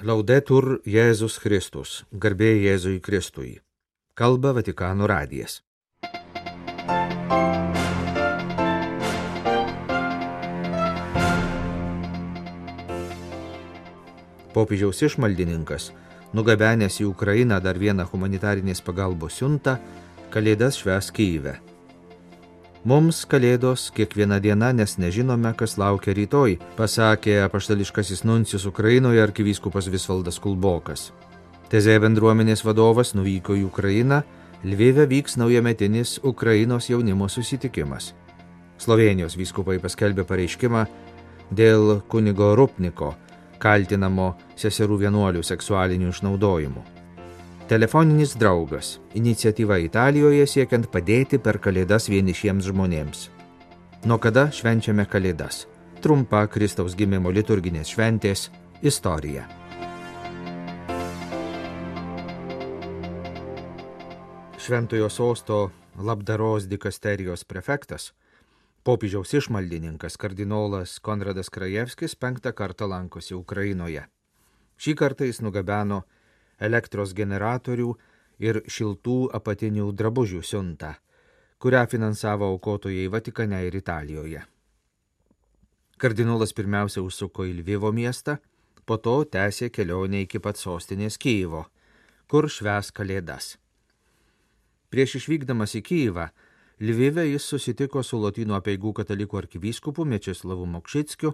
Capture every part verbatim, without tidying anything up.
Laudetur Jėzus Kristus, garbė Jėzui Kristui. Kalba Vatikano radijas. Popiežiaus išmaldininkas, nugabenęs į Ukrainą dar vieną humanitarinės pagalbos siuntą, Kalėdas švęs Kyjive. Mums Kalėdos kiekviena diena, nes nežinome, kas laukia rytoj, pasakė apaštališkasis nuncijus Ukrainoje arkivyskupas Visvaldas Kulbokas. Tezė bendruomenės vadovas nuvyko į Ukrainą, Lvive vyks naujametinis Ukrainos jaunimo susitikimas. Slovėnijos vyskupai paskelbė pareiškimą dėl kunigo Rupniko, kaltinamo seserų vienuolių seksualiniu išnaudojimu. Telefoninis draugas – iniciatyva Italijoje siekiant padėti per Kalėdas vienišiems žmonėms. Nuo kada švenčiame Kalėdas? Trumpa Kristaus gimimo liturginės šventės istorija. Šventojo sosto labdaros dikasterijos prefektas, popiežiaus išmaldininkas kardinolas Konradas Krajevskis penktą kartą lankosi Ukrainoje. Šį kartą jis nugabeno elektros generatorių ir šiltų apatinių drabužių siuntą, kurią finansavo aukotojai Vatikane ir Italijoje. Kardinolas pirmiausia užsuko į Lvivo miestą, po to tęsė kelionę iki pat sostinės Kyjivo, kur švęs Kalėdas. Prieš išvykdamas į Kyjivą, Lvive jis susitiko su Lotynų apeigų katalikų arkivyskupu Mečeslavu Mokšickiu,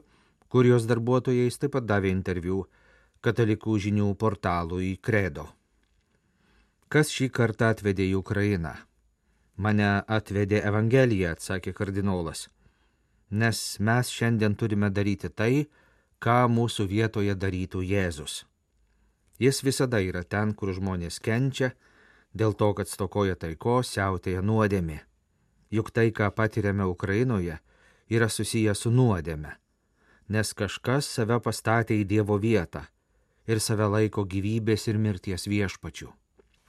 kurijos darbuotojais taip pat davė interviu katalikų žinių portalui Credo. Kas šį kartą atvedė į Ukrainą? Mane atvedė Evangelija, atsakė kardinolas, nes mes šiandien turime daryti tai, ką mūsų vietoje darytų Jėzus. Jis visada yra ten, kur žmonės kenčia, dėl to, kad stokoja taikos, siautėja nuodėmė. Juk tai, ką patiriame Ukrainoje, yra susiję su nuodėme, nes kažkas save pastatė į Dievo vietą ir save laiko gyvybės ir mirties viešpačiu.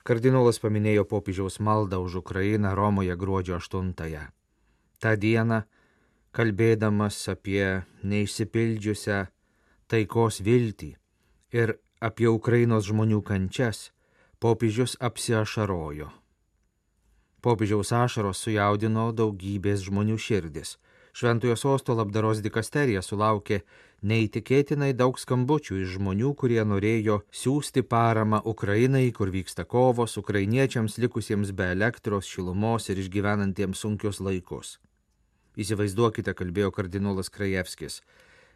Kardinolas paminėjo popiežiaus maldą už Ukrainą Romoje gruodžio aštuntąją. Ta diena, kalbėdamas apie neišsipildžiusią taikos viltį ir apie Ukrainos žmonių kančias, popiežius apsiašarojo. Popiežiaus ašaros sujaudino daugybės žmonių širdis. Šventojo sosto labdaros dikasterija sulaukė neįtikėtinai daug skambučių iš žmonių, kurie norėjo siųsti paramą Ukrainai, kur vyksta kovos, ukrainiečiams likusiems be elektros, šilumos ir išgyvenantiems sunkius laikus. Įsivaizduokite, kalbėjo kardinolas Krajevskis,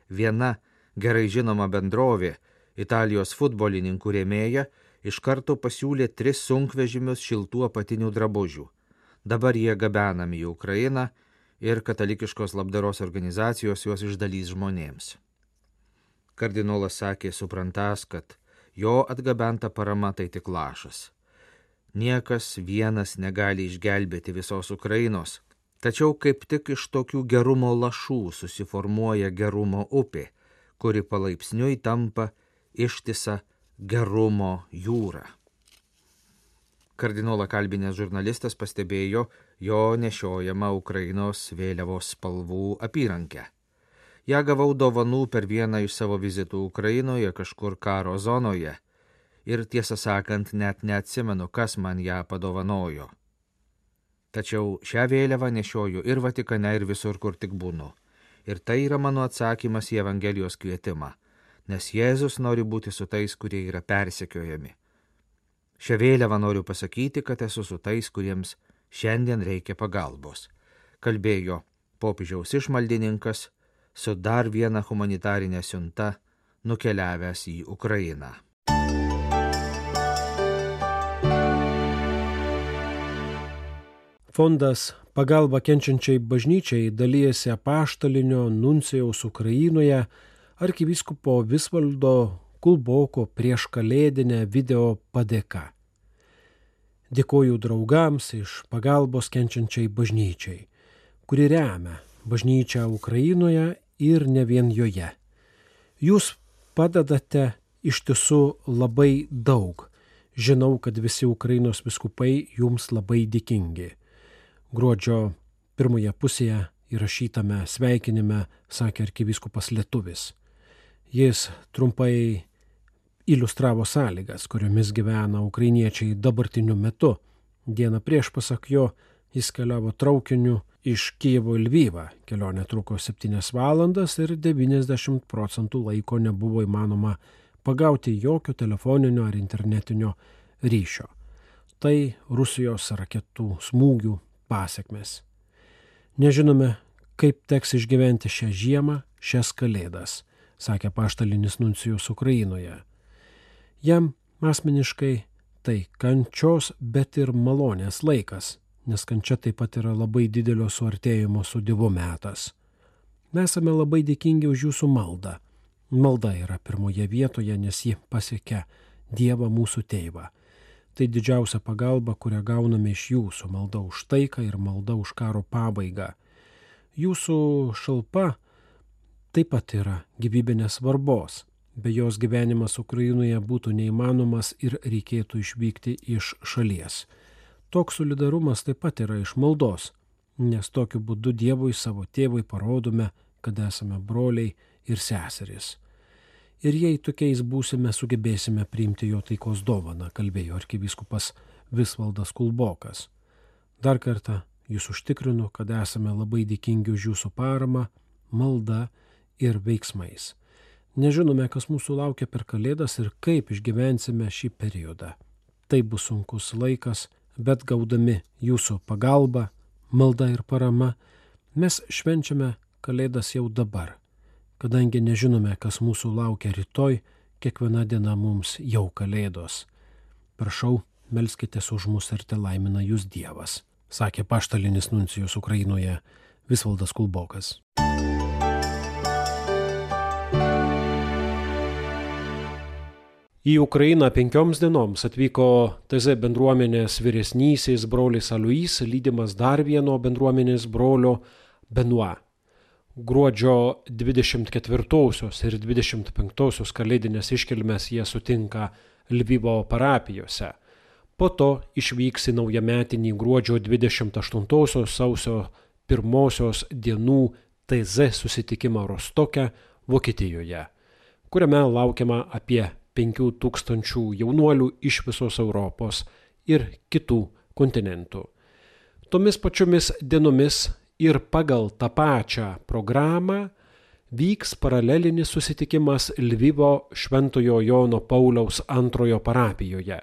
viena gerai žinoma bendrovė, Italijos futbolininkų rėmėja, iš karto pasiūlė tris sunkvežimius šiltų apatinių drabužių. Dabar jie gabenami į Ukrainą ir katalikiškos labdaros organizacijos juos išdalys žmonėms. Kardinolas sakė, suprantas, kad jo atgabenta parama tai tik lašas. Niekas vienas negali išgelbėti visos Ukrainos, tačiau kaip tik iš tokių gerumo lašų susiformuoja gerumo upė, kuri palaipsniui tampa ištisa gerumo jūra. Kardinolą kalbinęs žurnalistas pastebėjo jo nešiojamą Ukrainos vėliavos spalvų apyrankę. Ja gavau dovanų per vieną iš savo vizitų Ukrainoje kažkur karo zonoje ir tiesą sakant net neatsimenu, kas man ją padovanojo. Tačiau šią vėliavą nešioju ir Vatikane, ir visur, kur tik būnu. Ir tai yra mano atsakymas į Evangelijos kvietimą, nes Jėzus nori būti su tais, kurie yra persekiojami. Šią vėliavą noriu pasakyti, kad esu su tais, kuriems šiandien reikia pagalbos, kalbėjo popiežiaus išmaldininkas su dar viena humanitarinė siunta nukeliavęs į Ukrainą. Fondas Pagalba kenčiančiai bažnyčiai dalyjasi apaštalinio nuncijaus Ukrainoje arkivyskupo Visvaldo Kulboko prieš kalėdinę video padėka. Dėkoju draugams iš Pagalbos kenčiančiai bažnyčiai, kuri remia bažnyčią Ukrainoje ir ne vien joje. Jūs padedate iš tiesų labai daug. Žinau, kad visi Ukrainos vyskupai jums labai dėkingi. Gruodžio pirmoje pusėje įrašytame sveikinime sakė arkivyskupas lietuvis. Jis trumpai iliustravo sąlygas, kuriomis gyvena ukrainiečiai dabartiniu metu. Dieną prieš, pasak jo, jis keliavo traukiniu iš Kijevo į Lvivą. Kelionė truko septynias valandas ir devyniasdešimt procentų laiko nebuvo įmanoma pagauti jokio telefoninio ar internetinio ryšio. Tai Rusijos raketų smūgių pasekmės. Nežinome, kaip teks išgyventi šią žiemą, šias kalėdas, sakė apaštalinis nuncijus Ukrainoje. Jam asmeniškai tai kančios, bet ir malonės laikas, nes kančia taip pat yra labai didelio suartėjimo su Dievu metas. Mes esame labai dėkingi už jūsų maldą. Malda yra pirmoje vietoje, nes ji pasiekia Dievą mūsų tėvą. Tai didžiausia pagalba, kurią gauname iš jūsų, malda už taiką ir malda už karo pabaigą. Jūsų šalpa taip pat yra gyvybinės svarbos. Be jos gyvenimas Ukrainoje būtų neįmanomas ir reikėtų išvykti iš šalies. Toks solidarumas taip pat yra iš maldos, nes tokiu būdu Dievui savo tėvui parodome, kad esame broliai ir seserys. Ir jei tokiais būsime, sugebėsime priimti jo taikos dovaną, kalbėjo arkivyskupas Visvaldas Kulbokas. Dar kartą jūs užtikrinu, kad esame labai dėkingi už jūsų paramą, maldą ir veiksmais. Nežinome, kas mūsų laukia per kalėdas ir kaip išgyvensime šį periodą. Tai bus sunkus laikas, bet gaudami jūsų pagalbą, maldą ir parama, mes švenčiame kalėdas jau dabar. Kadangi nežinome, kas mūsų laukia rytoj, kiekviena diena mums jau kalėdos. Prašau, melskitės už mus ir te laimina jūs Dievas, sakė apaštalinis nuncijus Ukrainoje Visvaldas Kulbokas. Į Ukrainą penkioms dienoms atvyko T Z bendruomenės vyresnysis brolis Alois, lydimas dar vieno bendruomenės brolio Benoit. Gruodžio dvidešimt ketvirtosios ir dvidešimt penktosios kalėdinės iškilmes jie sutinka Lvivo parapijose. Po to išvyks į naujametinį gruodžio dvidešimt aštuntosios sausio pirmosios dienų T Z susitikimą Rostoke, Vokietijoje, kuriame laukiama apie penkių tūkstančių jaunuolių iš visos Europos ir kitų kontinentų. Tomis pačiomis dienomis ir pagal tą pačią programą vyks paralelinis susitikimas Lvivo Šventojo Jono Pauliaus antrojo parapijoje.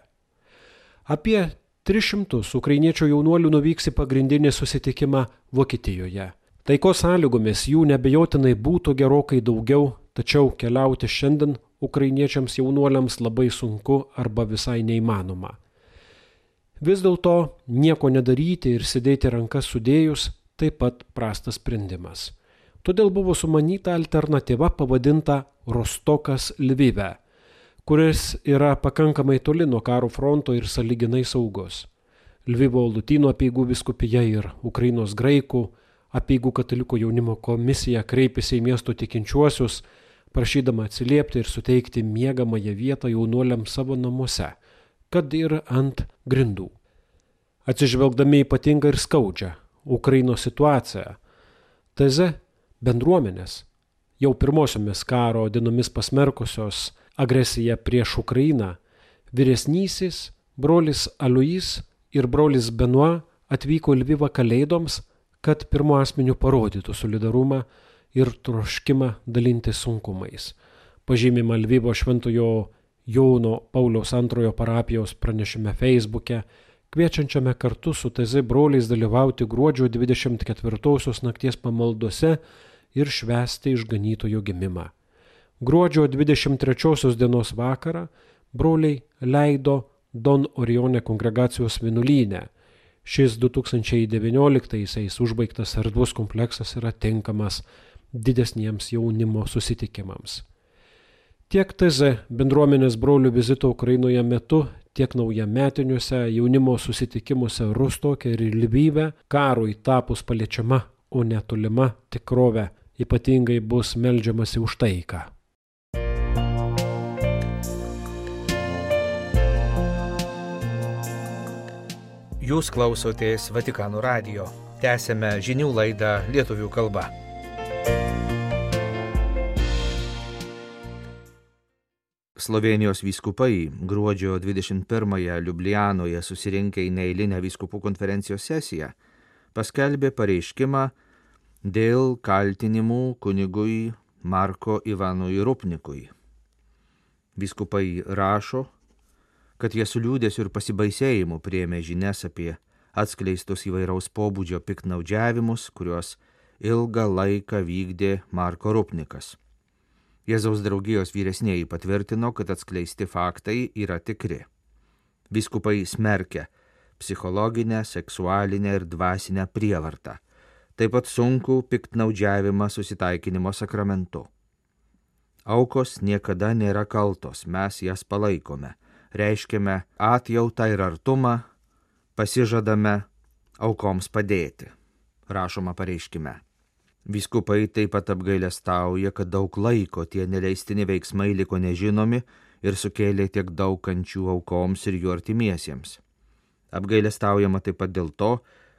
Apie tris šimtus ukrainiečių jaunuolių nuvyks į pagrindinį susitikimą Vokietijoje. Taikos sąlygomis jų nebejotinai būtų gerokai daugiau, tačiau keliauti šiandien ukrainiečiams jaunuoliams labai sunku arba visai neįmanoma. Vis dėlto nieko nedaryti ir sėdėti rankas sudėjus taip pat prastas sprendimas. Todėl buvo sumanyta alternatyva pavadinta Rostokas Lvive, kuris yra pakankamai toli nuo karo fronto ir sąlyginai saugus. Lvivo Lotynų apeigų vyskupija ir Ukrainos graikų apeigų katalikų jaunimo komisija kreipėsi į miesto tikinčiuosius, prašydama atsiliepti ir suteikti miegamąją vietą jaunuoliams savo namuose, kad ir ant grindų. Atsižvelgdami ypatingą ir skaudžią Ukrainos situaciją, T Z bendruomenės, jau pirmosiomis karo dienomis pasmerkusios agresiją prieš Ukrainą, vyresnysis brolis Alois ir brolis Benoit atvyko į Lvivą kalėdoms, kad pirmu asmeniu parodytų solidarumą ir troškimą dalintis sunkumais. Pažymima Lvivo Šventojo Jono Pauliaus antrojo parapijos pranešime Facebook'e, kviečiančiame kartu su T Z broliais dalyvauti gruodžio dvidešimt ketvirtosios nakties pamaldose ir švęsti išganytojo gimimą. Gruodžio dvidešimt trečiosios dienos vakarą broliai leido Don Orione kongregacijos vienuolyne. Šis du tūkstančiai devynioliktaisiais užbaigtas erdvus kompleksas yra tinkamas didesniems jaunimo susitikimams. Tiek T Z bendruomenės brolių vizito Ukrainoje metu, tiek naujametiniuose jaunimo susitikimuose Rostoke ir Lvive karui tapus paliečiama, o netolima tikrove, ypatingai bus meldžiamasi už taiką. Jūs klausotės Vatikano radijo. Tęsėme žinių laidą lietuvių kalba. Slovėnijos vyskupai gruodžio dvidešimt pirmąją Liublianoje susirinkę į neeilinę vyskupų konferencijos sesiją paskelbė pareiškimą dėl kaltinimų kunigui Marko Ivanui Rupnikui. Vyskupai rašo, kad jie su liūdesiu ir pasibaisėjimu priėmė žinias apie atskleistus įvairaus pobūdžio piktnaudžiavimus, kuriuos ilgą laiką vykdė Marko Rupnikas. Jėzaus draugijos vyresnieji patvirtino, kad atskleisti faktai yra tikri. Vyskupai smerkia psichologinę, seksualinę ir dvasinę prievartą, taip pat sunkų piktnaudžiavimą susitaikinimo sakramentu. Aukos niekada nėra kaltos, mes jas palaikome, reiškiame atjautą ir artumą, pasižadame aukoms padėti, rašoma pareiškime. Vyskupai taip pat apgailestauja, kad daug laiko tie neleistini veiksmai liko nežinomi ir sukėlė tiek daug kančių aukoms ir jų artimiesiems. Apgailestaujama taip pat dėl to,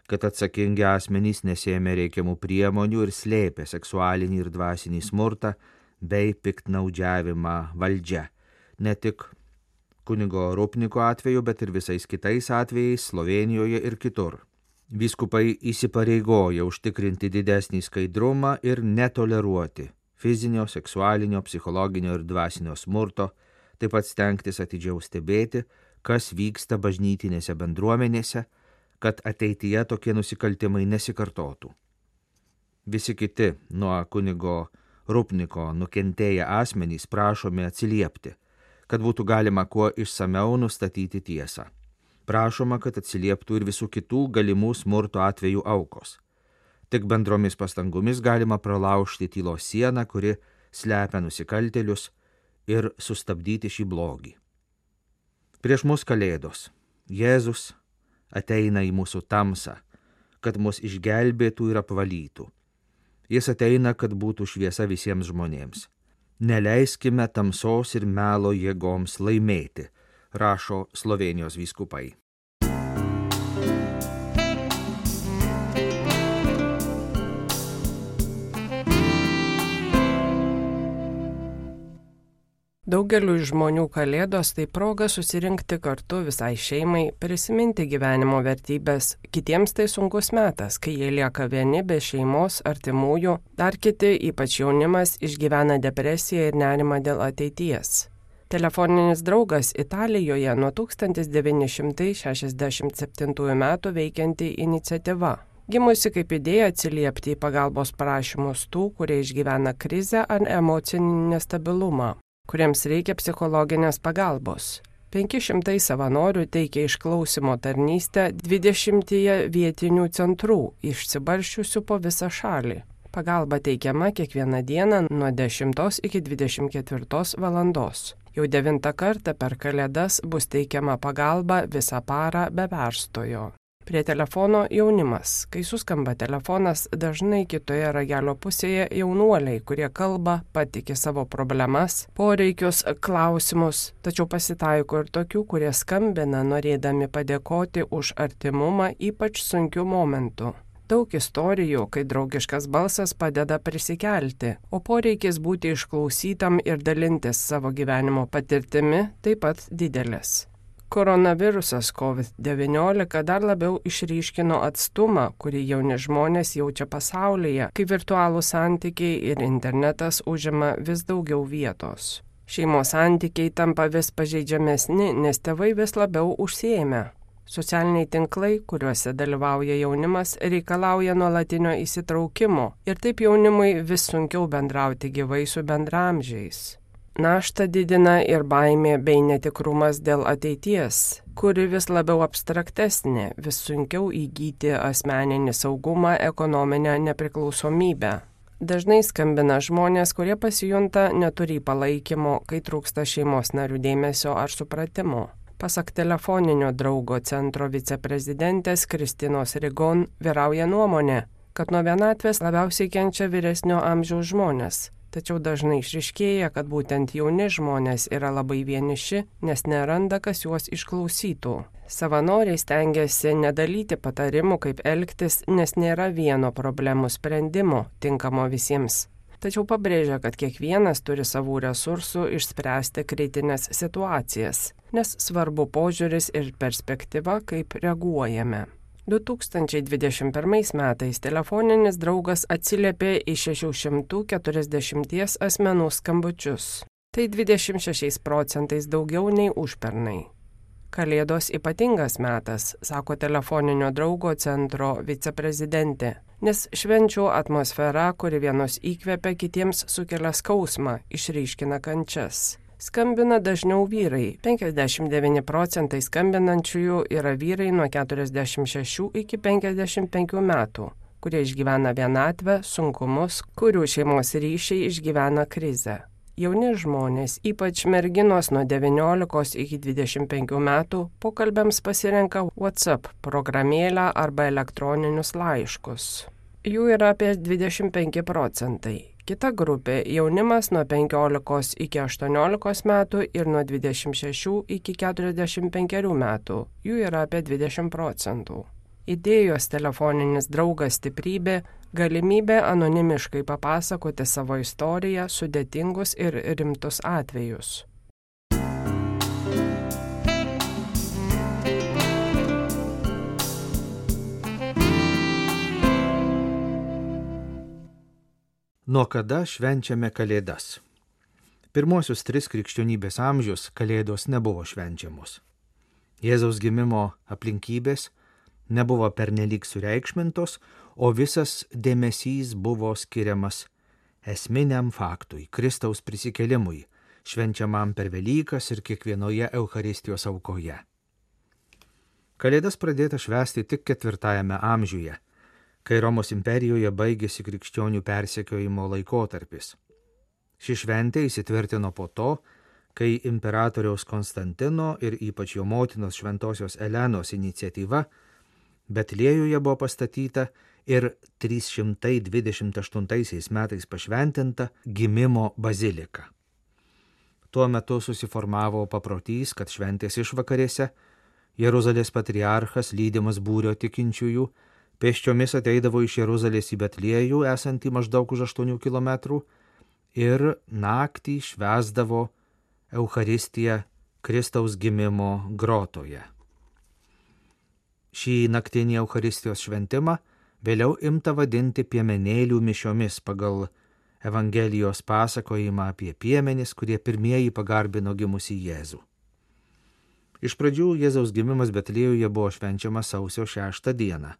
kad atsakingi asmenys nesėmė reikiamų priemonių ir slėpė seksualinį ir dvasinį smurtą bei piktnaudžiavimą valdžia. Ne tik kunigo Rupniko atveju, bet ir visais kitais atvejais Slovėnijoje ir kitur. Vyskupai įsipareigoja užtikrinti didesnį skaidrumą ir netoleruoti fizinio, seksualinio, psichologinio ir dvasinio smurto, taip pat stengtis atidžiau stebėti, kas vyksta bažnytinėse bendruomenėse, kad ateityje tokie nusikaltimai nesikartotų. Visi kiti nuo kunigo Rupniko nukentėję asmenys prašomi atsiliepti, kad būtų galima kuo išsameu nustatyti tiesą. Prašoma, kad atsilieptų ir visų kitų galimų smurto atvejų aukos. Tik bendromis pastangomis galima pralaužti tylos sieną, kuri slepia nusikaltėlius, ir sustabdyti šį blogį. Prieš mus Kalėdos. Jėzus ateina į mūsų tamsą, kad mus išgelbėtų ir apvalytų. Jis ateina, kad būtų šviesa visiems žmonėms. Neleiskime tamsos ir melo jėgoms laimėti, rašo Slovėnijos vyskupai. Daugeliu žmonių Kalėdos tai proga susirinkti kartu visai šeimai, prisiminti gyvenimo vertybės. Kitiems tai sunkus metas, kai jie lieka vieni be šeimos, artimųjų, dar kiti, ypač jaunimas, išgyvena depresiją ir nerimą dėl ateities. Telefoninis draugas Italijoje nuo tūkstantis devyni šimtai šešiasdešimt septintųjų metų veikianti iniciatyva. Gimusi kaip idėja atsiliepti į pagalbos prašymus tų, kurie išgyvena krizę ar emocinį nestabilumą, kuriems reikia psichologinės pagalbos. penki šimtai savanorių teikia išklausimo tarnystę dvidešimtyje vietinių centrų, išsibarsčiusių po visą šalį. Pagalba teikiama kiekvieną dieną nuo dešimtos iki dvidešimt ketvirtos valandos. Jau devintą kartą per Kalėdas bus teikiama pagalba visą parą be perstojo. Prie telefono jaunimas. Kai suskamba telefonas, dažnai kitoje ragelio pusėje jaunuoliai, kurie kalba, patiki savo problemas, poreikius, klausimus, tačiau pasitaiko ir tokių, kurie skambina norėdami padėkoti už artimumą ypač sunkiu momentu. Daug istorijų, kai draugiškas balsas padeda prisikelti, o poreikis būti išklausytam ir dalintis savo gyvenimo patirtimi taip pat didelis. Koronavirusas COVID devyniolika dar labiau išryškino atstumą, kurį jauni žmonės jaučia pasaulyje, kai virtualūs santykiai ir internetas užima vis daugiau vietos. Šeimos santykiai tampa vis pažeidžiamesni, nes tėvai vis labiau užsiėmę. Socialiniai tinklai, kuriuose dalyvauja jaunimas, reikalauja nuolatinio įsitraukimo ir taip jaunimui vis sunkiau bendrauti gyvai su bendraamžiais. Naštą didina ir baimė bei netikrumas dėl ateities, kuri vis labiau abstraktesnė, vis sunkiau įgyti asmeninį saugumą, ekonominę nepriklausomybę. Dažnai skambina žmonės, kurie pasijunta neturi palaikymo, kai trūksta šeimos narių dėmesio ar supratimo. Pasak telefoninio draugo centro viceprezidentės Kristinos Rigon vyrauja nuomonė, kad nuo vienatvės labiausiai kenčia vyresnio amžiaus žmonės. Tačiau dažnai išryškėja, kad būtent jauni žmonės yra labai vieniši, nes neranda, kas juos išklausytų. Savanoriai stengiasi nedalyti patarimų, kaip elgtis, nes nėra vieno problemų sprendimo, tinkamo visiems. tačiau pabrėžia, kad kiekvienas turi savų resursų išspręsti kritinės situacijas, nes svarbu požiūris ir perspektyva, kaip reaguojame. du tūkstančiai dvidešimt pirmais metais telefoninis draugas atsiliepė į šeši šimtai keturiasdešimt asmenų skambučius. Tai dvidešimt šešiais procentais daugiau nei užpernai. Kalėdos ypatingas metas, sako telefoninio draugo centro viceprezidentė, nes švenčių atmosfera, kuri vienos įkvepia, kitiems sukelia skausmą, išryškina kančias. Skambina dažniau vyrai. penkiasdešimt devyni procentai skambinančiųjų yra vyrai nuo keturiasdešimt šešių iki penkiasdešimt penkių metų, kurie išgyvena vienatvę, sunkumus, kurių šeimos ryšiai išgyvena krizę. Jauni žmonės, ypač merginos nuo devyniolikos iki dvidešimt penkių metų, pokalbiams pasirenka WhatsApp programėlę arba elektroninius laiškus. Jų yra apie dvidešimt penki procentai. Kita grupė – jaunimas nuo penkiolikos iki aštuoniolikos metų ir nuo dvidešimt šešių iki keturiasdešimt penkerių metų. Jų yra apie dvidešimt procentų. Idėjos telefoninis draugas stiprybė – galimybė anonimiškai papasakoti savo istoriją, sudėtingus ir rimtus atvejus. Nuo kada švenčiame Kalėdas? Pirmosius tris krikščionybės amžius Kalėdos nebuvo švenčiamos. Jėzaus gimimo aplinkybės nebuvo pernelyg sureikšmintos, o visas dėmesys buvo skiriamas esminiam faktui, Kristaus prisikelimui, švenčiamam per Velykas ir kiekvienoje Eucharistijos aukoje. Kalėdas pradėta švęsti tik ketvirtajame amžiuje, kai Romos imperijoje baigėsi krikščionių persekiojimo laikotarpis. Ši šventė įsitvirtino po to, kai imperatoriaus Konstantino ir ypač jo motinos šventosios Elenos iniciatyva Betliejuje buvo pastatyta ir trys šimtai dvidešimt aštuntaisiais metais pašventinta gimimo bazilika. Tuo metu susiformavo paprotys, kad šventės išvakarėse Jeruzalės patriarchas lydimas būrio tikinčiųjų pėsčiomis ateidavo iš Jeruzalės į Betliejų, esantį maždaug už aštuonių kilometrų, ir naktį švęsdavo Eucharistiją Kristaus gimimo grotoje. Šį naktinį Eucharistijos šventimą vėliau imta vadinti piemenėlių mišiomis pagal Evangelijos pasakojimą apie piemenis, kurie pirmieji pagarbino gimusį Jėzų. Iš pradžių Jėzaus gimimas Betliejuje buvo švenčiamas sausio šeštą dieną.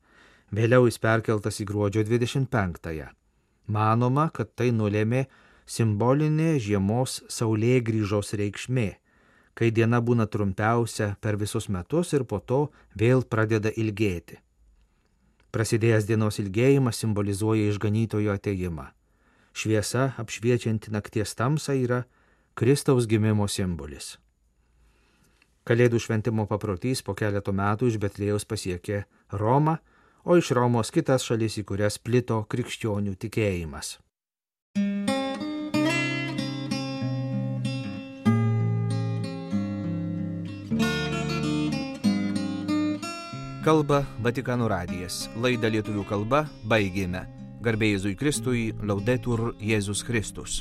Vėliau jis perkeltas į gruodžio dvidešimt penktąją. Manoma, kad tai nulėmė simbolinė žiemos saulėgrįžos reikšmė, kai diena būna trumpiausia per visus metus ir po to vėl pradeda ilgėti. Prasidėjęs dienos ilgėjimas simbolizuoja išganytojo atėjimą. Šviesa, apšviečianti nakties tamsą, yra Kristaus gimimo simbolis. Kalėdų šventimo paprotys po keleto metų iš Betliejaus pasiekė Romą, o iš Romos kitas šalis, į kurias plito krikščionių tikėjimas. Kalba Vatikano radijas. Laidą lietuvių kalba baigėme. Garbė Jėzui Kristui, Laudetur Jėzus Kristus.